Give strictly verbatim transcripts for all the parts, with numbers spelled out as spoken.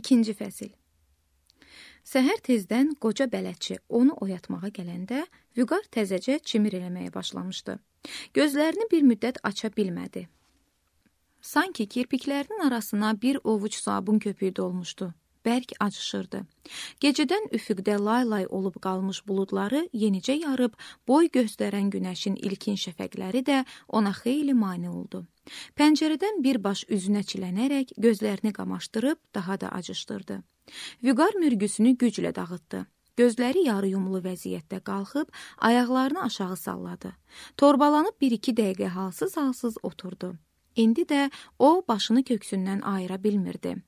İkinci fəsil. Səhər tezdən qoca bələdçi onu oyatmağa gələndə Vüqar təzəcə çimir eləməyə başlamışdı. Gözlərini bir müddət aça bilmədi. Sanki kirpiklərinin arasına bir ovuc sabun köpüyü dolmuşdu. Bərk acışırdı. Gecədən üfüqdə lay-lay olub qalmış buludları yenicə yarıb, boy göstərən günəşin ilkin şəfəqləri də ona xeyli mane oldu. Pəncərədən birbaş üzünə çilənərək gözlərini qamaşdırıb daha da acışdırdı. Vüqar mürgüsünü güclə dağıtdı. Gözləri yarı yumulu vəziyyətdə qalxıb, ayaqlarını aşağı salladı. Torbalanıb bir-iki dəqiqə halsız-halsız oturdu. İndi də o başını köksündən ayıra bilmirdi.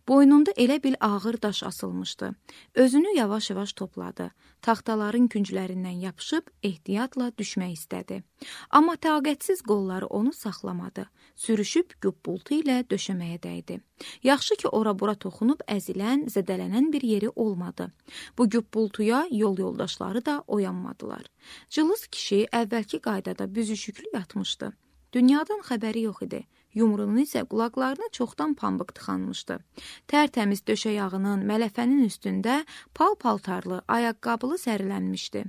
Boynunda elə bil ağır daş asılmışdı. Özünü yavaş-yavaş topladı. Taxtaların künclərindən yapışıb ehtiyatla düşmək istədi. Amma taqətsiz qolları onu saxlamadı. Sürüşüb güppultu ilə döşəməyə dəydi. Yaxşı ki, ora-bura toxunub əzilən, zədələnən bir yeri olmadı. Bu güppultuya yol yoldaşları da oyanmadılar. Cılız kişi əvvəlki qaydada büzüşüklü yatmışdı. Dünyadan xəbəri yox idi. Yumruğunu isə qulaqlarına çoxdan pambıq tıxanmışdı. Tərtəmiz döşəyağının, mələfənin üstündə pal-paltarlı, ayaqqabılı sərilənmişdi.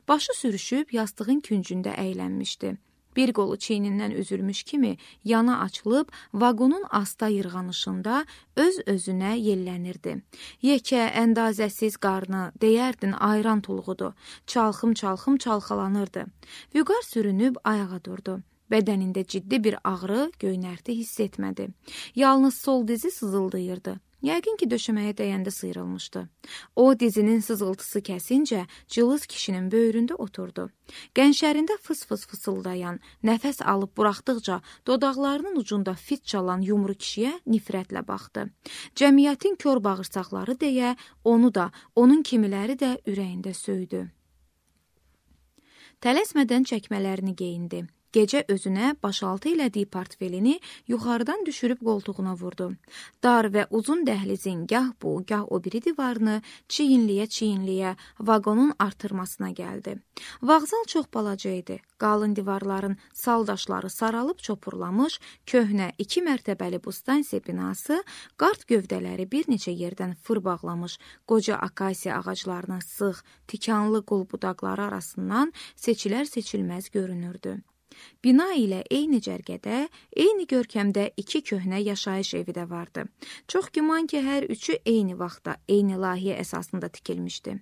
Başı sürüşüb yastığın küncündə əylənmişdi. Bir qolu çiynindən üzülmüş kimi yana açılıb, vaqonun asta yırğanışında öz-özünə yellənirdi. Yekə, əndazəsiz qarnı, deyərdin ayran tuluğudur. Çalxım-çalxım çalxalanırdı. Vüqar sürünüb ayağa durdu. Bədənində ciddi bir ağrı, göynərti hiss etmədi. Yalnız sol dizi sızıldayırdı. Yəqin ki, döşəməyə dəyəndə sıyrılmışdı. O, dizinin sızıltısı kəsincə cılız kişinin böyründə oturdu. Qənşərində fıs-fıs fısıldayan, nəfəs alıb buraxdıqca dodaqlarının ucunda fit çalan yumru kişiyə nifrətlə baxdı. Cəmiyyətin kör bağırsaqları deyə onu da, onun kimiləri də ürəyində söydü. Tələsmədən çəkmələrini geyindi. Gecə özünə başaltı elədiyi portfelini yuxarıdan düşürüb qoltuğuna vurdu. Dar və uzun dəhlizin gah bu, gah o biri divarını çiyinliyə-çiyinliyə vaqonun artırmasına gəldi. Vağzal çox balaca idi. Qalın divarların saldaşları saralıb çopurlamış, köhnə iki mərtəbəli bu stansiya binası, qart gövdələri bir neçə yerdən fır bağlamış qoca akasiya ağaclarının sıx, tikanlı qul budaqları arasından seçilər-seçilməz görünürdü. Bina ilə eyni cərgədə, eyni görkəmdə iki köhnə yaşayış evi də vardı. Çox güman ki, hər üçü eyni vaxtda, eyni layihə əsasında tikilmişdi.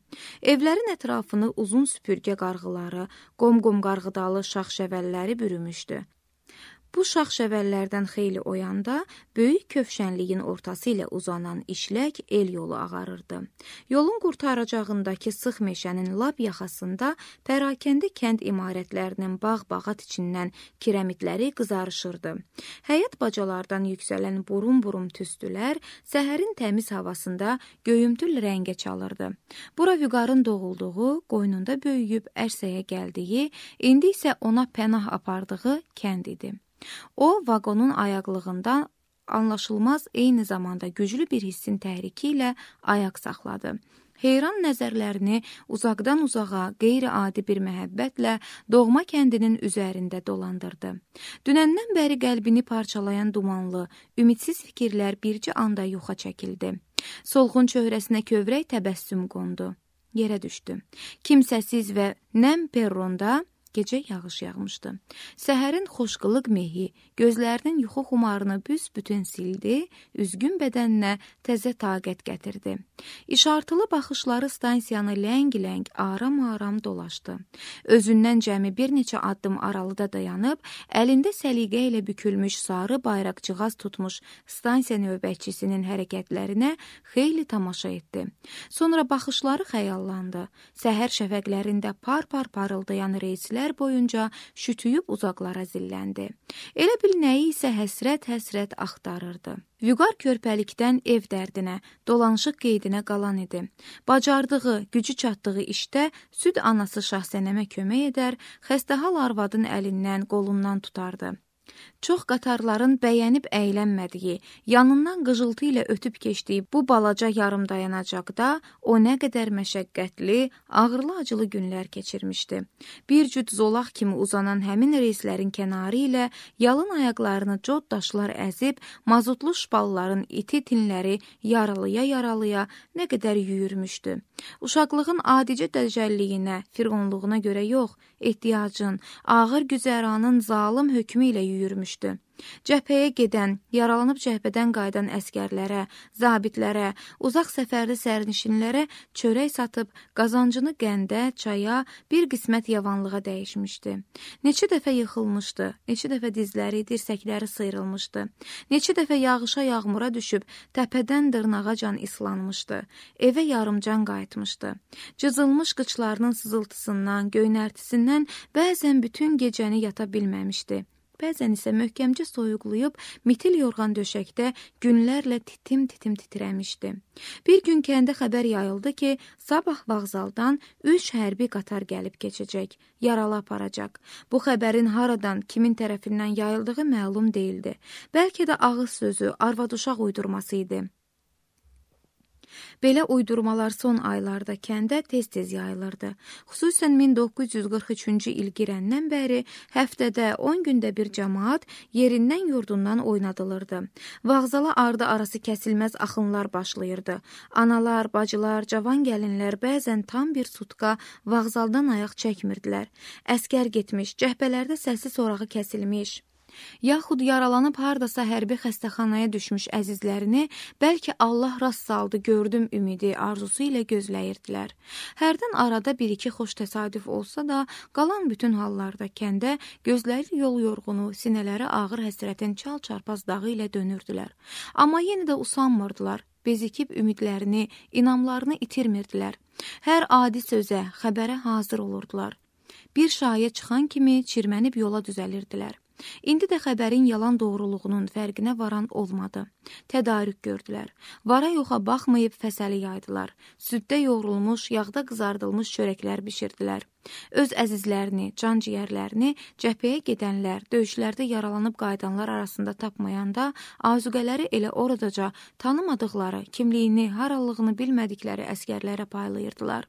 Evlərin ətrafını uzun süpürgə qarğıları, qom-qom qarğıdalı şax-şəvəlləri bürümüşdü. Bu şax-şəvəllərdən xeyli oyanda böyük kövşənliyin ortası ilə uzanan işlək el yolu ağarırdı. Yolun qurtaracağındakı sıx meşənin lap yaxasında pərakəndə kənd imarətlərinin bağ-bağat içindən kirəmitləri qızarışırdı. Həyət bacalardan yüksələn burum-burum tüstülər səhərin təmiz havasında göyümtül rəngə çalırdı. Bura Vüqarın doğulduğu, qoynunda böyüyüb ərsəyə gəldiyi, indi isə ona pənah apardığı kənd idi. O, vaqonun ayaqlığından anlaşılmaz eyni zamanda güclü bir hissin təhriki ilə ayaq saxladı. Heyran nəzərlərini uzaqdan uzağa qeyri-adi bir məhəbbətlə doğma kəndinin üzərində dolandırdı. Dünəndən bəri qəlbini parçalayan dumanlı, ümidsiz fikirlər bircə anda yoxa çəkildi. Solğun çöhrəsinə kövrək təbəssüm qondu. Yerə düşdü. Kimsəsiz və nəm perronda gecə yağış yağmışdı. Səhərin xoşqılıq mehi gözlərinin yuxu xumarını büs-bütün sildi, üzgün bədəninə təzə taqət gətirdi. İşartılı baxışları stansiyanı ləng-ləng, aram-aram dolaşdı. Özündən cəmi bir neçə addım aralıda dayanıb, əlində səliqə ilə bükülmüş sarı bayraqcığaz tutmuş stansiya növbətçisinin hərəkətlərinə xeyli tamaşa etdi. Sonra baxışları xəyallandı. Səhər şəfəqlərində par-par parıldayan reyslər boyunca şütüyüb uzaqlara zilləndi. Elə bil nəyi isə həsrət-həsrət axtarırdı. Vüqar körpəlikdən ev dərdinə, dolanışıq qeydinə qalan idi. Bacardığı, gücü çatdığı işdə süd anası Şahsənəmə kömək edər, xəstəhal arvadın əlindən, qolundan tutardı. Çox qatarların bəyənib əylənmədiyi, yanından qıcıltı ilə ötüb keçdiyi bu balaca yarım dayanacaqda o nə qədər məşəqqətli, ağırlı-acılı günlər keçirmişdi. Bir cüt zolaq kimi uzanan həmin reyslərin kənarı ilə yalın ayaqlarını cod daşlar əzib, mazutlu şpalların iti tinləri yaralıya-yaralıya nə qədər yüyürmüşdü. Uşaqlığın adicə dəcəlliyinə, firqonluğuna görə yox, ehtiyacın, ağır güzəranın zalım hökmü ilə yüyürmüşdü. Cəbhəyə gedən, yaralanıb cəbhədən qayıdan əskərlərə, zabitlərə, uzaq səfərli sərnişinlərə çörək satıb qazancını qəndə, çaya, bir qismət yavanlığa dəyişmişdi. Neçə dəfə yıxılmışdı, neçə dəfə dizləri, dirsəkləri sıyrılmışdı, neçə dəfə yağışa yağmura düşüb təpədən dırnağacan islanmışdı, evə yarımcan qayıtmışdı. Cızılmış qıçlarının sızıltısından, göynərtisindən bəzən bütün gecəni yata bilməmişdi. Bəzən isə möhkəmcə soyuqlayıb, mitil yorğan döşəkdə günlərlə titim-titim titrəmişdi. Bir gün kəndə xəbər yayıldı ki, sabah vağzaldan üç hərbi qatar gəlib keçəcək, yaralı aparacaq. Bu xəbərin haradan, kimin tərəfindən yayıldığı məlum deyildi. Bəlkə də ağız sözü, arvad-uşaq uydurması idi. Belə uydurmalar son aylarda kəndə tez-tez yayılırdı. Xüsusən min doqquz yüz qırx üçüncü il girəndən bəri həftədə on gündə bir cəmaat yerindən yurdundan oynadılırdı. Vağzala ardı arası kəsilməz axınlar başlayırdı. Analar, bacılar, cavan gəlinlər bəzən tam bir sutka vağzaldan ayaq çəkmirdilər. Əskər getmiş, cəhbələrdə səsi sorağı kəsilmiş, yaxud yaralanıb hardasa hərbi xəstəxanaya düşmüş əzizlərini bəlkə Allah rast saldı, gördüm ümidi, arzusu ilə gözləyirdilər. Hərdən arada bir-iki xoş təsadüf olsa da, qalan bütün hallarda kəndə gözləri yol yorğunu, sinələri ağır həsrətin çal-çarpaz dağı ilə dönürdülər. Amma yenə də usanmırdılar, bezikib ümidlərini, inamlarını itirmirdilər. Hər adi sözə, xəbərə hazır olurdular. Bir şayə çıxan kimi çirmənib yola düzəlirdilər. İndi də xəbərin yalan doğruluğunun fərqinə varan olmadı. Tədarük gördülər. Vara yoxa baxmayıb fəsəli yaydılar. Süddə yoğrulmuş, yağda qızardılmış çörəklər bişirdilər. Öz əzizlərini, can-ciyərlərini cəbhəyə gedənlər, döyüşlərdə yaralanıb qayıdanlar arasında tapmayanda, azuqələri elə oradaca tanımadıqları, kimliyini, harallığını bilmədikləri əskərlərə paylayırdılar.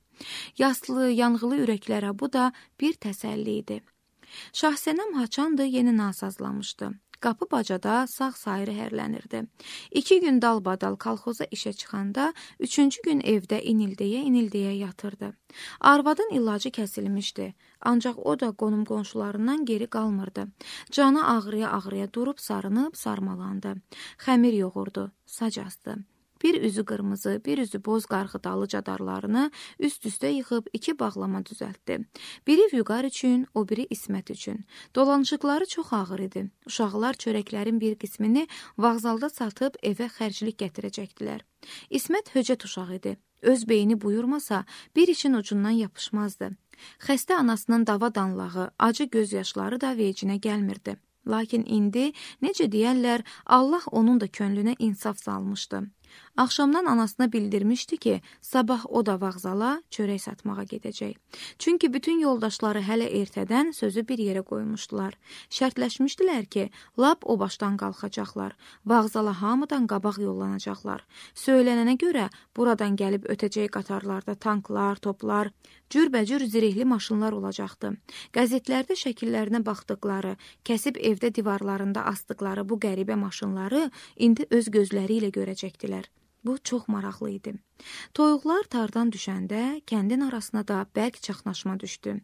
Yaslı, yanğılı ürəklərə bu da bir təsəlli idi. Şahsənəm haçandı yeni nasazlamışdı. Qapı bacada sağ-sayırı hərlənirdi. İki gün dalbadal kolxoza işə çıxanda, üçüncü gün evdə inildeyə-inildeyə yatırdı. Arvadın ilacı kəsilmişdi, ancaq o da qonum qonşularından geri qalmırdı. Canı ağrıya-ağrıya durub sarınıb sarmalandı. Xəmir yoğurdu, sac astı. Bir üzü qırmızı, bir üzü boz qarğıdalı cadarlarını üst-üstə yıxıb iki bağlama düzəltdi. Biri Vüqar üçün, o biri İsmət üçün. Dolanışıqları çox ağır idi. Uşaqlar çörəklərin bir qismini vağzalda satıb evə xərclik gətirəcəkdilər. İsmət höcət uşaq idi. Öz beyni buyurmasa, bir için ucundan yapışmazdı. Xəstə anasının dava danlağı, acı gözyaşları da vecinə gəlmirdi. Lakin indi, necə deyərlər, Allah onun da könlünə insaf salmışdı. Axşamdan anasına bildirmişdi ki, sabah o da vağzala çörək satmağa gedəcək. Çünki bütün yoldaşları hələ ertədən sözü bir yerə qoymuşdular. Şərtləşmişdilər ki, lap o başdan qalxacaqlar. Vağzala hamıdan qabaq yollanacaqlar. Söylənənə görə buradan gəlib ötəcək qatarlarda tanklar, toplar, cürbəcür zirehli maşınlar olacaqdı. Qəzetlərdə şəkillərinə baxdıqları, kəsib evdə divarlarında asdıqları bu qəribə maşınları indi öz gözləri ilə görəcəkdilər. Bu çox maraqlı idi. Toyuqlar tardan düşəndə kəndin arasına da bərk çaxnaşma düşdü.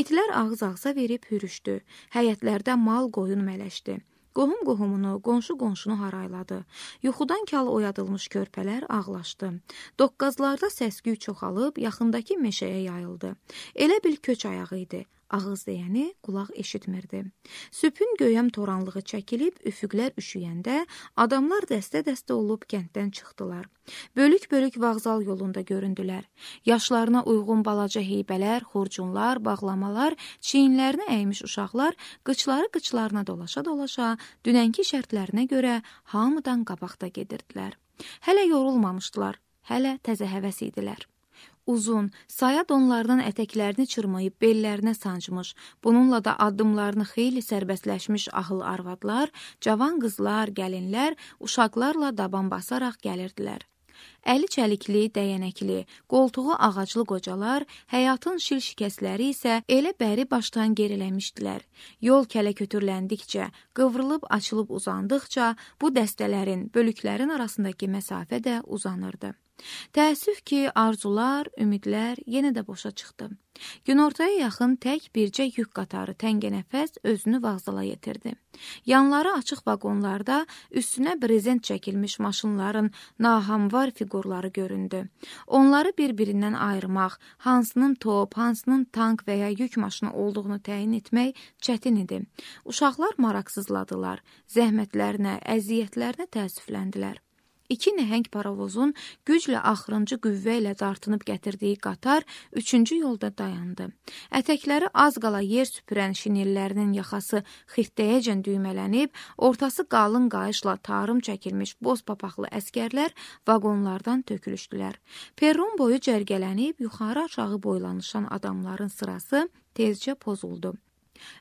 İtlər ağız-ağıza verib hürüşdü. Həyətlərdə mal qoyun mələşdi. Qohum qohumunu, qonşu qonşunu harayladı. Yuxudan kal oyadılmış körpələr ağlaşdı. Doqqazlarda səs-küy çoxalıb yaxındakı meşəyə yayıldı. Elə bil köç ayağı idi. Ağız deyəni qulaq eşitmirdi. Sübhün göyəm toranlığı çəkilib, üfüqlər üşüyəndə adamlar dəstə-dəstə olub kənddən çıxdılar. Bölük-bölük vağzal yolunda göründülər. Yaşlarına uyğun balaca heybələr, xurcunlar, bağlamalar, çiyinlərini əymiş uşaqlar qıçları qıçlarına dolaşa-dolaşa dünənki şərtlərinə görə hamıdan qabaqda gedirdilər. Hələ yorulmamışdılar, hələ təzə həvəs idilər. Uzun, saya donlardan ətəklərini çırmayıb bellərinə sancmış, bununla da addımlarını xeyli sərbəstləşmiş ahıl arvadlar, cavan qızlar, gəlinlər, uşaqlarla daban basaraq gəlirdilər. Əli çəlikli, dəyənəkli, qoltuğu ağaclı qocalar, həyatın şil şikəsləri isə elə bəri başdan geriləmişdilər. Yol kələ kötürləndikcə, qıvrılıb açılıb uzandıqca bu dəstələrin, bölüklərin arasındakı məsafə də uzanırdı. Təəssüf ki, arzular, ümidlər yenə də boşa çıxdı. Günortaya yaxın tək bircə yük qatarı təngənəfəs özünü vağzala yetirdi. Yanları açıq vaqonlarda üstünə brezent çəkilmiş maşınların nahamvar fiqurları göründü. Onları bir-birindən ayırmaq, hansının top, hansının tank və ya yük maşını olduğunu təyin etmək çətin idi. Uşaqlar maraqsızladılar, zəhmətlərinə, əziyyətlərinə təəssüfləndilər. İki nəhəng paravozun güclə axırıncı qüvvə ilə dartınıb gətirdiyi qatar üçüncü yolda dayandı. Ətəkləri az qala yer süpürən şinellərinin yaxası xirtdəyəcən düymələnib, ortası qalın qayışla tarım çəkilmiş boz papaqlı əskərlər vaqonlardan tökülüşdülər. Perron boyu cərgələnib, yuxarı aşağı boylanışan adamların sırası tezcə pozuldu.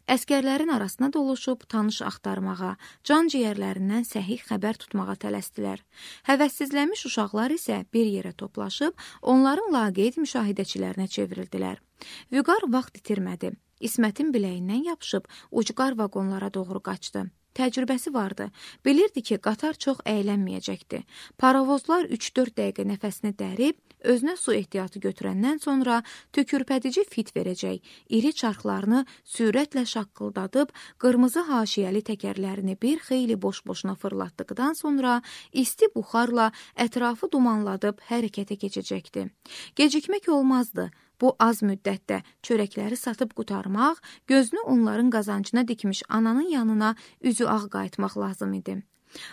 Əskərlərin arasına doluşub tanış axtarmağa, can ciyərlərindən səhih xəbər tutmağa tələsdilər. Həvəssizlənmiş uşaqlar isə bir yerə toplaşıb, onların laqeyd müşahidəçilərinə çevrildilər. Vüqar vaxt itirmədi. İsmətin biləyindən yapışıb, ucqar vaqonlara doğru qaçdı. Təcrübəsi vardı. Bilirdi ki, qatar çox əylənməyəcəkdi. Paravozlar üç-dörd dəqiqə nəfəsini dərib, özünə su ehtiyatı götürəndən sonra tükürpədici fit verəcək, iri çarxlarını sürətlə şaqqıldadıb, qırmızı haşiyəli təkərlərini bir xeyli boş-boşuna fırlatdıqdan sonra isti buxarla ətrafı dumanladıb hərəkətə keçəcəkdi. Gecikmək olmazdı. Bu az müddətdə çörəkləri satıb qutarmaq, gözünü onların qazancına dikmiş ananın yanına üzü ağ qayıtmaq lazım idi.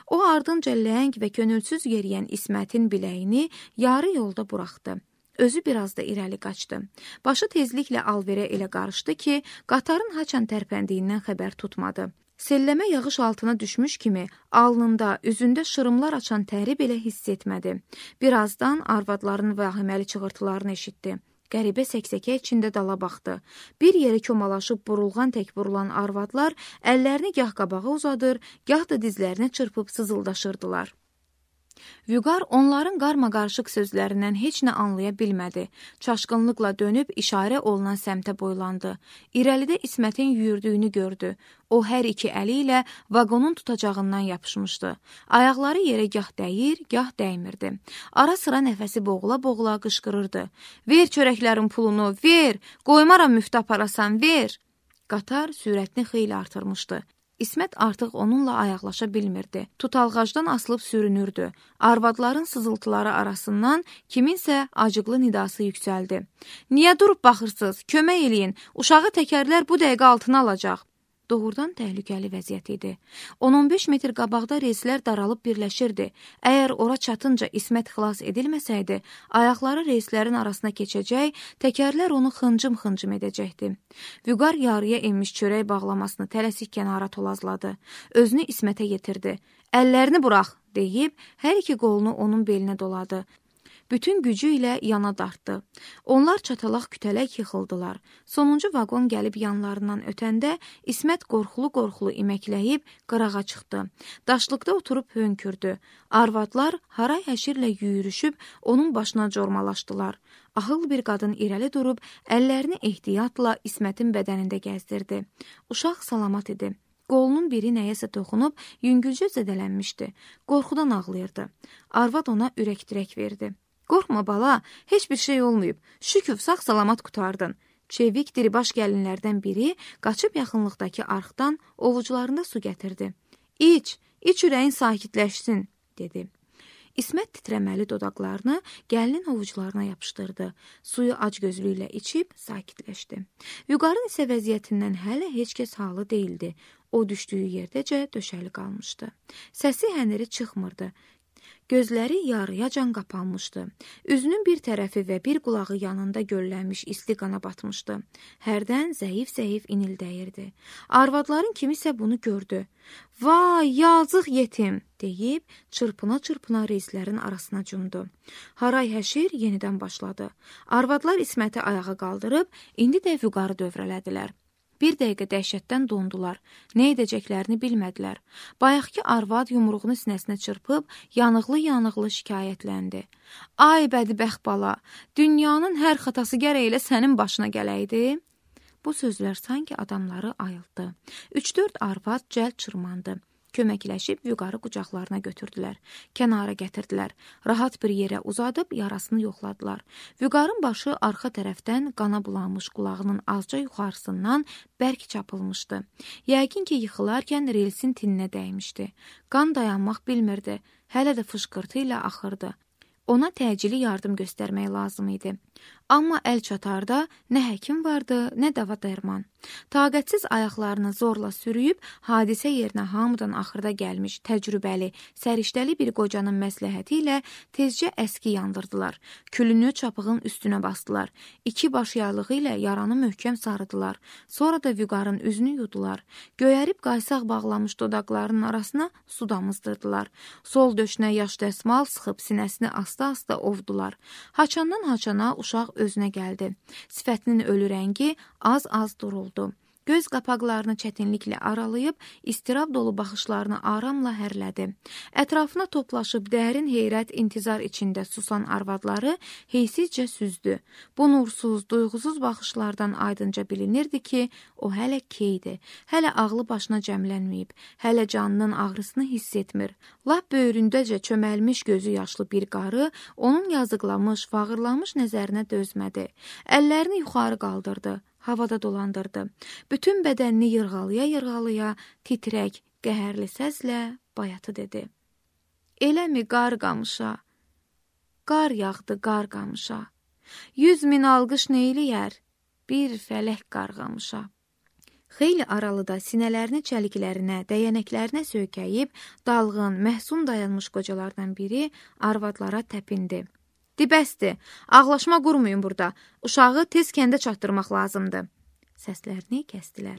O ardınca ləng və könülsüz yeriyən İsmətin biləyini yarı yolda buraxdı. Özü biraz da irəli qaçdı. Başı tezliklə alverə elə qarışdı ki, qatarın haçan tərpəndiyindən xəbər tutmadı. Selləmə yağış altına düşmüş kimi alnında, üzündə şırımlar açan təri belə hiss etmədi. Birazdan arvadların vahiməli çığırtılarını eşitdi. Qəribə səksəkə içində dala baxdı. Bir yeri komalaşıb burulğan tək burulan arvadlar əllərini gah qabağa uzadır, gah da dizlərinə çırpıb sızıldaşırdılar. Vüqar onların qarma-qarışıq sözlərindən heç nə anlaya bilmədi. Çaşqınlıqla dönüb işarə olunan səmtə boylandı. İrəlidə İsmətin yüyürdüyünü gördü. O hər iki əli ilə vaqonun tutacağından yapışmışdı. Ayaqları yerə gah dəyir, gah dəymirdi. Ara sıra nəfəsi boğula-boğula qışqırırdı. Ver çörəklərin pulunu, ver! Qoymaram müftə aparasan, ver! Qatar sürətini xeyli artırmışdı. İsmət artıq onunla ayaqlaşa bilmirdi. Tutalğacdan asılıb sürünürdü. Arvadların sızıltıları arasından kiminsə acıqlı nidası yüksəldi. Niyə durub baxırsınız? Kömək eləyin. Uşağı təkərlər bu dəqiqə altına alacaq. Doğrudan təhlükəli vəziyyət idi. on on beş metr qabaqda reyslər daralıb birləşirdi. Əgər ora çatınca İsmət xilas edilməsəydi, ayaqları reyslərin arasına keçəcək, təkərlər onu xıncım-xıncım edəcəkdi. Vüqar yarıya enmiş çörək bağlamasını tələsik kənara tolazladı. Özünü İsmətə yetirdi. Əllərini burax, deyib, hər iki qolunu onun belinə doladı. Bütün gücü ilə yana dartdı. Onlar çatalaq kütələk yıxıldılar. Sonuncu vaqon gəlib yanlarından ötəndə İsmət qorxulu-qorxulu iməkləyib qırağa çıxdı. Daşlıqda oturub hönkürdü. Arvadlar haray-həşirlə yüyürüşüb onun başına cormalaşdılar. Ahıl bir qadın irəli durub əllərini ehtiyatla İsmətin bədənində gəzdirdi. Uşaq salamat idi. Qolunun biri nəyəsə toxunub yüngülcə zədələnmişdi. Qorxudan ağlayırdı. Arvad ona ürək-dirək verdi. Qorxma bala, heç bir şey olmayıb. Şükür, sağ-salamat qutardın. Çevik diribaş gəlinlərdən biri qaçıb yaxınlıqdakı arxdan ovucularında su gətirdi. İç, iç ürəyin sakitləşsin, dedi. İsmət titrəməli dodaqlarını gəlinin ovucularına yapışdırdı. Suyu acgözlüklə içib sakitləşdi. Vüqarın isə vəziyyətindən hələ heç kəs halı deyildi. O düşdüyü yerdəcə döşəli qalmışdı. Səsi həniri çıxmırdı. Gözləri yarıyacan qapanmışdı. Üzünün bir tərəfi və bir qulağı yanında göllənmiş isti qana batmışdı. Hərdən zəif-zəif inildəyirdi. Arvadların kimisə bunu gördü. Vay, yazıq yetim, deyib çırpına-çırpına reislərin arasına cumdu. Haray həşir yenidən başladı. Arvadlar İsməti ayağa qaldırıb, indi də vüqarı dövrələdilər. Bir dəqiqə dəhşətdən dondular. Nə edəcəklərini bilmədilər. Bayaqki arvad yumruğunu sinəsinə çırpıb, yanıqlı-yanıqlı şikayətləndi. Ay bədbəxt bala, dünyanın hər xatası gərək elə sənin başına gələydi. Bu sözlər sanki adamları ayıltdı. Üç-dörd arvad cəld çırmandı. Köməkləşib vüqarı qucaqlarına götürdülər. Kənara gətirdilər. Rahat bir yerə uzadıb yarasını yoxladılar. Vüqarın başı arxa tərəfdən qana bulanmış qulağının azca yuxarısından bərk çapılmışdı. Yəqin ki, yıxılarkən relsin tininə dəymişdi. Qan dayanmaq bilmirdi. Hələ də fışqırtı ilə axırdı. Ona təcili yardım göstərmək lazım idi. Amma əl çatarda nə həkim vardı, nə dava dərman. Taqətsiz ayaqlarını zorla sürüyüb, hadisə yerinə hamıdan axırda gəlmiş, təcrübəli, səriştəli bir qocanın məsləhəti ilə tezcə əski yandırdılar. Külünü çapığın üstünə basdılar. İki baş yaylığı ilə yaranı möhkəm sarıdılar. Sonra da vüqarın üzünü yudular. Göyərib qaysaq bağlamış dodaqlarının arasına su damızdırdılar. Sol döşünə yaş dəsmal sıxıb sinəsini asta-asta ovdular. Haçandan haçana uşaq özünə gəldi. Sifətinin ölü rəngi az-az duruldu. Göz qapaqlarını çətinliklə aralayıb, istirab dolu baxışlarını aramla hərlədi. Ətrafına toplaşıb dərin heyrət, intizar içində susan arvadları heysizcə süzdü. Bu nursuz, duyğusuz baxışlardan aydınca bilinirdi ki, o hələ keydi, hələ ağlı başına cəmlənməyib, hələ canının ağrısını hiss etmir. Lap böyründəcə çöməlmiş gözü yaşlı bir qarı onun yazıqlamış, fağırlamış nəzərinə dözmədi. Əllərini yuxarı qaldırdı. Havada dolandırdı. Bütün bədənini yırğalaya-yırğalaya, titrək, qəhərli səslə bayatı dedi. Eləmi qar qamışa? Qar yağdı qar qamışa. Yüz min alqış neyləyər? Bir fələk qarğamışa. Xeyli aralıda sinələrini çəliklərinə, dəyənəklərinə söykəyib, dalğın, məhsun dayanmış qocalardan biri arvadlara təpindi. Dibəsdir, ağlaşma qurmayın burada, uşağı tez kəndə çatdırmaq lazımdır. Səslərini kəstilər.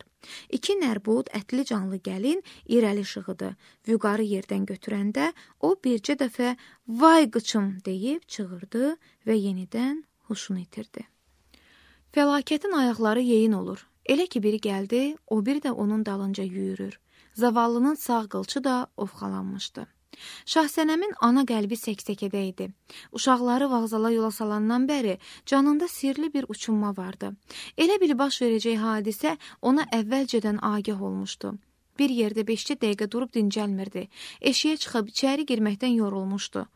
İki nərbud, ətli canlı gəlin irəli şığıdı. Vüqarı yerdən götürəndə o bircə dəfə vay qıçım deyib çığırdı və yenidən huşunu itirdi. Fəlakətin ayaqları yeyin olur. Elə ki biri gəldi, o biri də onun dalınca yüyürür. Zavallının sağ qılçı da ovxalanmışdı. Şahsənəmin ana qəlbi səksəkədə idi. Uşaqları vağzala yola salandan bəri canında sirli bir uçunma vardı. Elə bil baş verəcək hadisə ona əvvəlcədən agah olmuşdu. Bir yerdə beş-cə dəqiqə durub dincəlmirdi. Eşiyə çıxıb içəri girməkdən yorulmuşdu.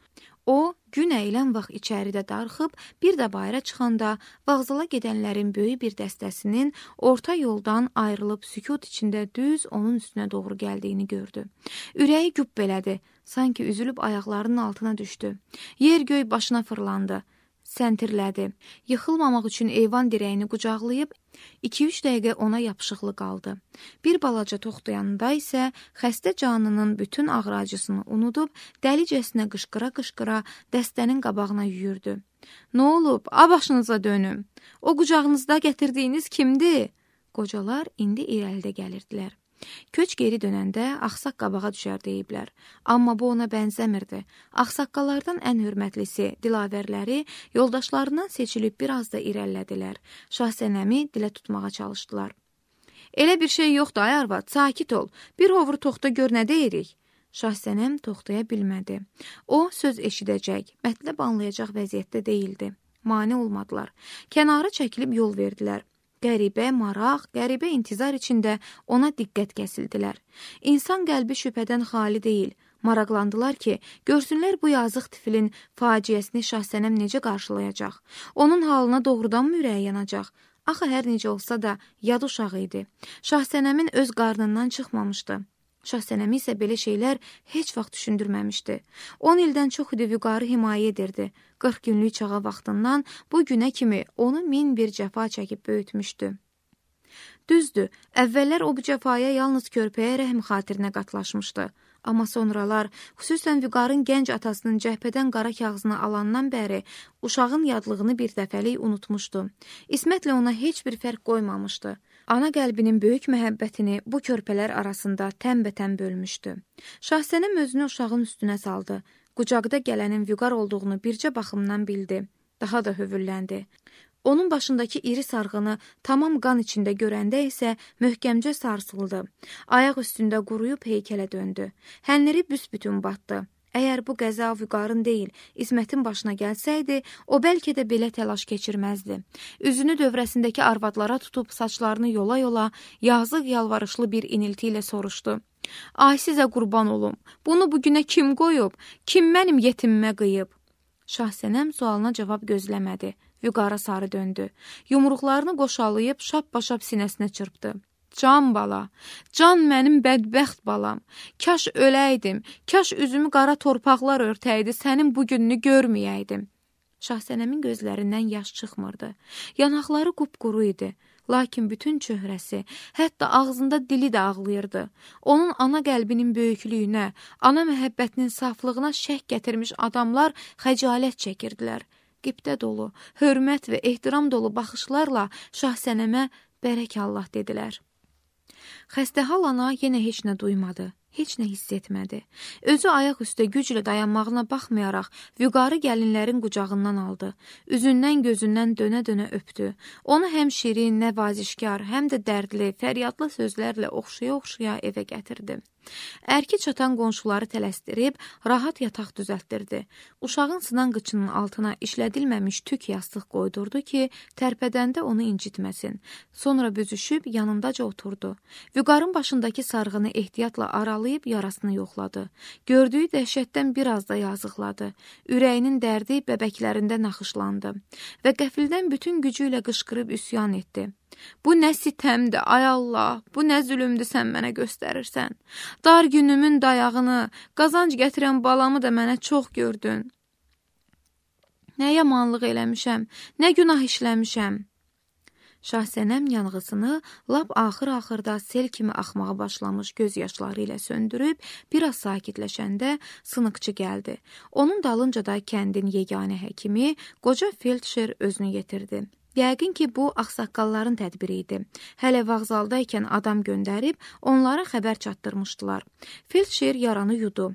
O, gün əyilən vaxt içəridə darxıb, bir də bayıra çıxanda vağzala gedənlərin böyük bir dəstəsinin orta yoldan ayrılıb sükut içində düz onun üstünə doğru gəldiyini gördü. Ürəyi güp belədi, sanki üzülüb ayaqlarının altına düşdü. Yer göy başına fırlandı. Səntirlədi. Yıxılmamaq üçün eyvan dirəyini qucaqlayıb, iki-üç dəqiqə ona yapışıqlı qaldı. Bir balaca toxtayanında isə xəstə canının bütün ağrı acısını unudub, dəlicəsinə qışqıra-qışqıra dəstənin qabağına yüyürdü. Nə olub? A başınıza dönüm. O qucağınızda gətirdiyiniz kimdir? Qocalar indi irəlidə gəlirdilər. Köç geri dönəndə axsaq qabağa düşər deyiblər. Amma bu ona bənzəmirdi. Axsaqqalardan ən hörmətlisi, dilavərləri yoldaşlarından seçilib biraz da irəlilədilər. Şahsənəmi dilə tutmağa çalışdılar. Elə bir şey yoxdur ay arvad, sakit ol. Bir hovur toxta gör nə deyirik? Şahsənəm toxtaya bilmədi. O söz eşidəcək, mətləb anlayacaq vəziyyətdə deyildi. Mane olmadılar. Kənara çəkilib yol verdilər. Qəribə, maraq, qəribə intizar içində ona diqqət kəsildilər. İnsan qəlbi şübhədən xali deyil. Maraqlandılar ki, görsünlər bu yazıq tifilin faciəsini Şahsənəm necə qarşılayacaq. Onun halına doğrudanmı ürəyi yanacaq? Axı hər necə olsa da yad uşağı idi. Şahsənəmin öz qarnından çıxmamışdı. Şahsənəmi isə belə şeylər heç vaxt düşündürməmişdi. on ildən çox idi vüqarı himayə edirdi. qırx günlük çağa vaxtından bu günə kimi onu min bir cəfa çəkib böyütmüşdü. Düzdür, əvvəllər o bu cəfaya yalnız körpəyə rəhm xatirinə qatlaşmışdı. Amma sonralar, xüsusən Vüqarın gənc atasının cəhbədən qara kağızını alandan bəri uşağın yadlığını bir dəfəlik unutmuşdu. İsmətlə ona heç bir fərq qoymamışdı. Ana qəlbinin böyük məhəbbətini bu körpələr arasında tənbətən bölmüşdü. Şahsənəm özünü uşağın üstünə saldı. Qucaqda gələnin Vüqar olduğunu bircə baxımdan bildi. Daha da hövülləndi. Onun başındakı iri sarğını tamam qan içində görəndə isə möhkəmcə sarsıldı. Ayaq üstündə quruyub heykələ döndü. Hənləri büsbütün batdı. Əgər bu qəza Vüqarın deyil, İsmətin başına gəlsəydi, o bəlkə də belə təlaş keçirməzdi. Üzünü dövrəsindəki arvadlara tutub saçlarını yola-yola, yazıq yalvarışlı bir inilti ilə soruşdu. Ay sizə qurban olum, bunu bugünə kim qoyub, kim mənim yetimimə qıyıb? Şahsənəm sualına cavab gözləmədi. Vüqara sarı döndü. Yumruqlarını qoşalayıb şap-başap sinəsinə çırpdı. Can bala, can mənim bədbəxt balam. Kaş öləydim, kaş üzümü qara torpaqlar örtəydi, sənin bu gününü görməyəydim. Şahsənəmin gözlərindən yaş çıxmırdı. Yanaqları qupquru idi. Lakin bütün çöhrəsi, hətta ağzında dili də ağlayırdı. Onun ana qəlbinin böyüklüyünə, ana məhəbbətinin saflığına şək gətirmiş adamlar xəcalət çəkirdilər. Qibdə dolu, hörmət və ehtiram dolu baxışlarla Şahsənəmə bərək Allah dedilər. Xəstəhal ana yenə heç nə duymadı, heç nə hiss etmədi. Özü ayaq üstə güclə dayanmağına baxmayaraq Vüqarı gəlinlərin qucağından aldı. Üzündən gözündən dönə-dönə öpdü. Onu həm şirin, nəvazişkar, həm də dərdli, fəryadlı sözlərlə oxşaya-oxşaya evə gətirdi. Ərki çatan qonşuları tələsdirib, rahat yataq düzəltdirdi. Uşağın sınan qıçının altına işlədilməmiş tük yastıq qoydurdu ki, tərpədəndə onu incitməsin. Sonra büzüşüb yanındaca oturdu. Vüqarın başındakı sarğını ehtiyatla aralayıb yarasını yoxladı. Gördüyü dəhşətdən biraz da yazıqladı. Ürəyinin dərdi bəbəklərində naxışlandı və qəfildən bütün gücü ilə qışqırıb üsyan etdi. Bu nə sitəmdir, ay Allah, bu nə zülümdür sən mənə göstərirsən. Dar günümün dayağını, qazanc gətirən balamı da mənə çox gördün. Nə yamanlıq eləmişəm, nə günah işləmişəm. Şahsənəm yanğısını lap axır-axırda sel kimi axmağa başlamış göz yaşları ilə söndürüb, biraz sakitləşəndə sınıqçı gəldi. Onun dalınca da kəndin yeganə həkimi, qoca felçer özünü yetirdi. Yəqin ki, bu ağsaqqalların tədbiri idi. Hələ vağzaldaykən adam göndərib, onlara xəbər çatdırmışdılar. Felçer yaranı yudu.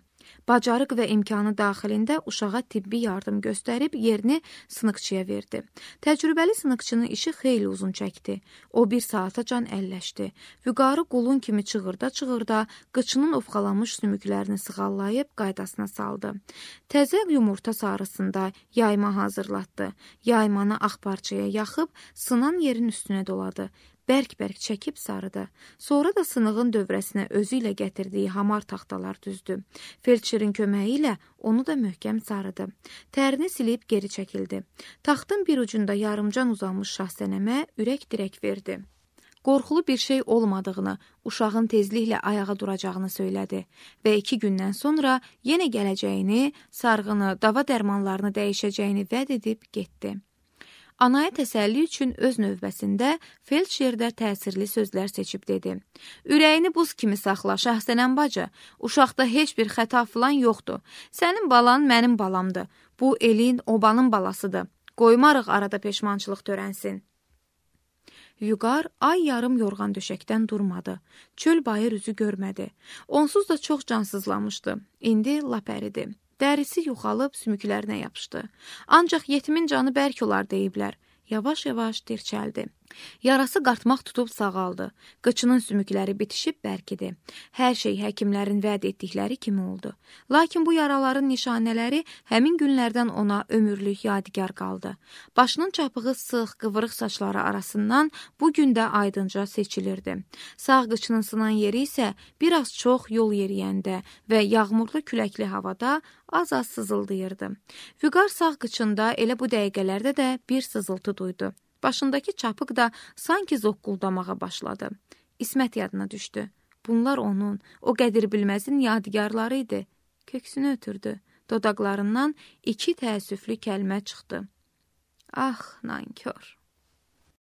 Bacarıq və imkanı daxilində uşağa tibbi yardım göstərib yerini sınıqçıya verdi. Təcrübəli sınıqçının işi xeyli uzun çəkdi. O bir saata can əlləşdi. Vüqarı qulun kimi çığırda-çığırda qıçının ofqalanmış sümüklərini sığallayıb qaydasına saldı. Təzə yumurta sarısında yayma hazırlatdı. Yaymanı ağ parçaya yaxıb sınan yerin üstünə doladı. Bərk-bərk çəkib sarıdı. Sonra da sınığın dövrəsinə özü ilə gətirdiyi hamar taxtalar düzdü. Felçerin köməyi ilə onu da möhkəm sarıdı. Tərini silib geri çəkildi. Taxtın bir ucunda yarımcan uzanmış Şahsənəmə ürək dirək verdi. Qorxulu bir şey olmadığını, uşağın tezliklə ayağa duracağını söylədi və iki gündən sonra yenə gələcəyini, sarğını, dava dərmanlarını dəyişəcəyini vəd edib getdi. Anaya təsəlli üçün öz növbəsində felçer də təsirli sözlər seçib dedi. Ürəyini buz kimi saxla, Şahsənəm bacı. Uşaqda heç bir xəta filan yoxdur. Sənin balan mənim balamdır. Bu elin, obanın balasıdır. Qoymarıq arada peşmançılıq törənsin. Vüqar ay yarım yorğan döşəkdən durmadı. Çöl bayır üzü görmədi. Onsuz da çox cansızlamışdı. İndi lap əridi. Dərisi yuxalıb sümüklərinə yapışdı. Ancaq yetimin canı bərk olar deyiblər. Yavaş-yavaş dirçəldi. Yarası qartmaq tutub sağaldı. Qıçının sümükləri bitişib bərkidi. Hər şey həkimlərin vəd etdikləri kimi oldu. Lakin bu yaraların nişanələri həmin günlərdən ona ömürlük yadigar qaldı. Başının çapığı sıx, qıvırıq saçları arasından bu gün də aydınca seçilirdi. Sağ qıçının sınan yeri isə biraz çox yol yeriyəndə və yağmurlu küləkli havada az-az sızıldayırdı. Vüqar sağ qıçında elə bu dəqiqələrdə də bir sızıltı duydu. Başındakı çapıq da sanki zoqquldamağa başladı. İsmət yadına düşdü. Bunlar onun, o qədir bilməzin yadigarları idi. Köksünü ötürdü. Dodaqlarından iki təəssüflü kəlmə çıxdı. Ah, nankör!